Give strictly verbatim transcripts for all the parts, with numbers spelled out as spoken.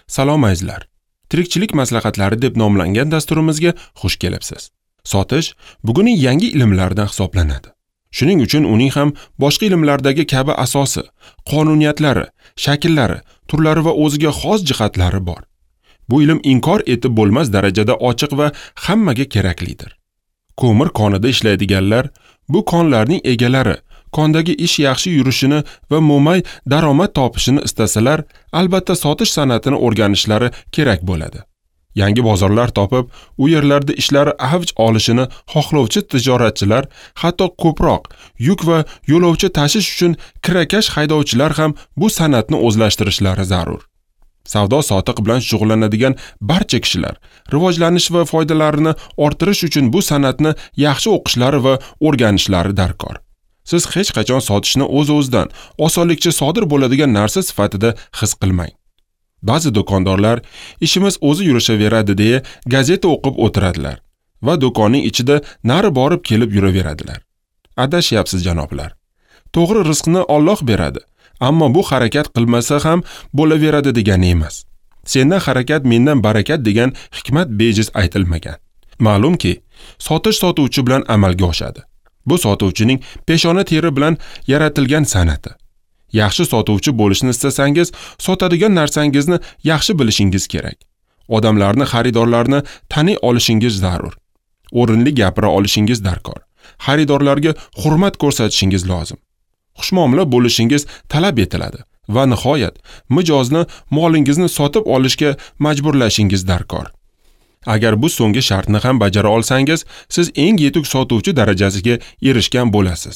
Salom azizlar. Tirikchilik maslahatlari deb nomlangan dasturimizga xush kelibsiz. Sotish bugunning yangi ilmlaridan hisoblanadi. Shuning uchun uning ham boshqa ilmlardagi kabi asosi, qonuniyatlari, shakllari, turlari va o'ziga xos jihatlari bor. Bu ilm inkor etib bo'lmas darajada ochiq va hammaga keraklidir. Ko'mir konida ishlaydiganlar, bu konlarning egalari, kondagi ish yaxshi yurishini va mo'may daromad topishini istasalar, albatta sotish san'atini o'rganishlari kerak bo'ladi. Yangi bozorlar topib, u yerlarda ishlari avj olishini xohlovchi tijoratchilar, hatto ko'proq yuk va yo'lovchi tashish uchun kirakash haydovchilar ham bu san'atni o'zlashtirishlari zarur. Savdo sotiq bilan shug'ullanadigan barcha kishilar rivojlanish va foydalarini orttirish uchun bu san'atni yaxshi o'qishlari va o'rganishlari darkor. Siz hech qachon sotishni o'z-o'zidan osonlikcha sodir bo'ladigan narsa sifatida his qilmang. Ba'zi do'kondorlar ishimiz o'zi yurishaveradi deya gazeta o'qib o'tiradilar va do'konning ichida nari borib kelib yuraveradilar. Adashyapsiz janoblar. To'g'ri, rizqni Alloh beradi, ammo bu harakat qilmasa ham bo'laveradi degani emas. Sendan harakat, mendan barakat degan hikmat bejiz aytilmagan. Ma'lumki, sotish sotuvchi bilan amalga oshadi. Bu sotuvchining peshona teri bilan yaratilgan san'ati. Yaxshi sotuvchi bo'lishni istasangiz, sotadigan narsangizni yaxshi bilishingiz kerak. Odamlarni, xaridorlarni taniy olishingiz zarur. O'rinli gapira olishingiz darkor. Xaridorlarga hurmat ko'rsatishingiz lozim. Xushmuomala bo'lishingiz talab etiladi va nihoyat mijozni molingizni sotib olishga majburlashingiz darkor. Agar bu so'nggi shartni ham bajara olsangiz, siz eng yetuk sotuvchi darajasiga erishgan bo'lasiz.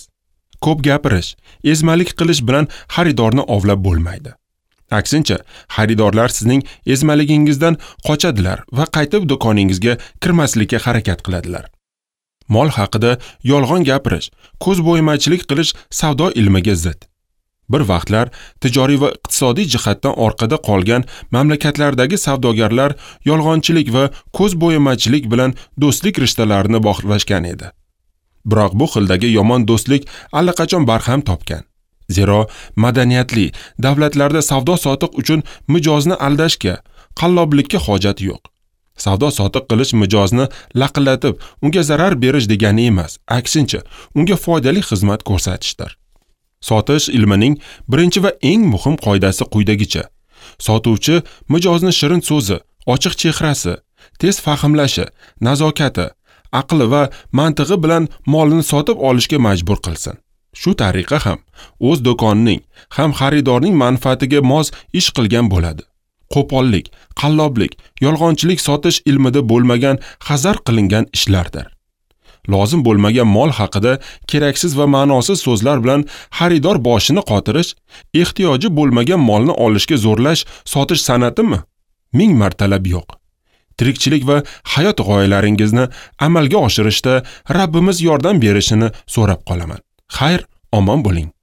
Ko'p gapirish, ezmalik qilish bilan xaridorni ovlab bo'lmaydi. Aksincha, xaridorlar sizning ezmaligingizdan qochadilar va qaytib do'koningizga kirmaslikka harakat qiladilar. Mol haqida yolg'on gapirish, ko'z bo'yamachilik qilish savdo ilmiga zid. Bir vaqtlar tijoriy va iqtisodiy jihatdan orqada qolgan mamlakatlardagi savdogarlar yolg'onchilik va ko'z bo'yamachilik bilan do'stlik rishtalarini bog'lashgan edi. Biroq bu xildagi yomon do'stlik allaqachon barham topgan. Zero madaniyatli davlatlarda savdo-sotiq uchun mijozni aldashga, qalloblikka hojat yo'q. Savdo-sotiq qilish mijozni laqillatib, unga zarar berish degani emas, aksincha, unga foydali xizmat ko'rsatishdir. Sotish ilmining birinchi va eng muhim qoidasi quyidagicha. Sotuvchi mijozni shirin so'zi, ochiq chehrasi, tez fahmlashi, nazokati, aqli va mantig'i bilan molini sotib olishga majbur qilsin. Shu tariqa ham o'z do'konining, ham xaridorning manfaatiga mos ish qilgan bo'ladi. Qo'pollik, qalloblik, yolg'onchilik sotish ilmida bo'lmagan hazar qilingan ishlardir. Lozim bo'lmagan mol haqida keraksiz va ma'nosiz so'zlar bilan xaridor boshini qotirish, ehtiyoji bo'lmagan molni olishga zo'rlash sotish san'atimi? Ming martalab yo'q. Tirikchilik va hayot g'oyalaringizni amalga oshirishda Rabbimiz yordam berishini so'rab qolaman. Xayr, omon bo'ling.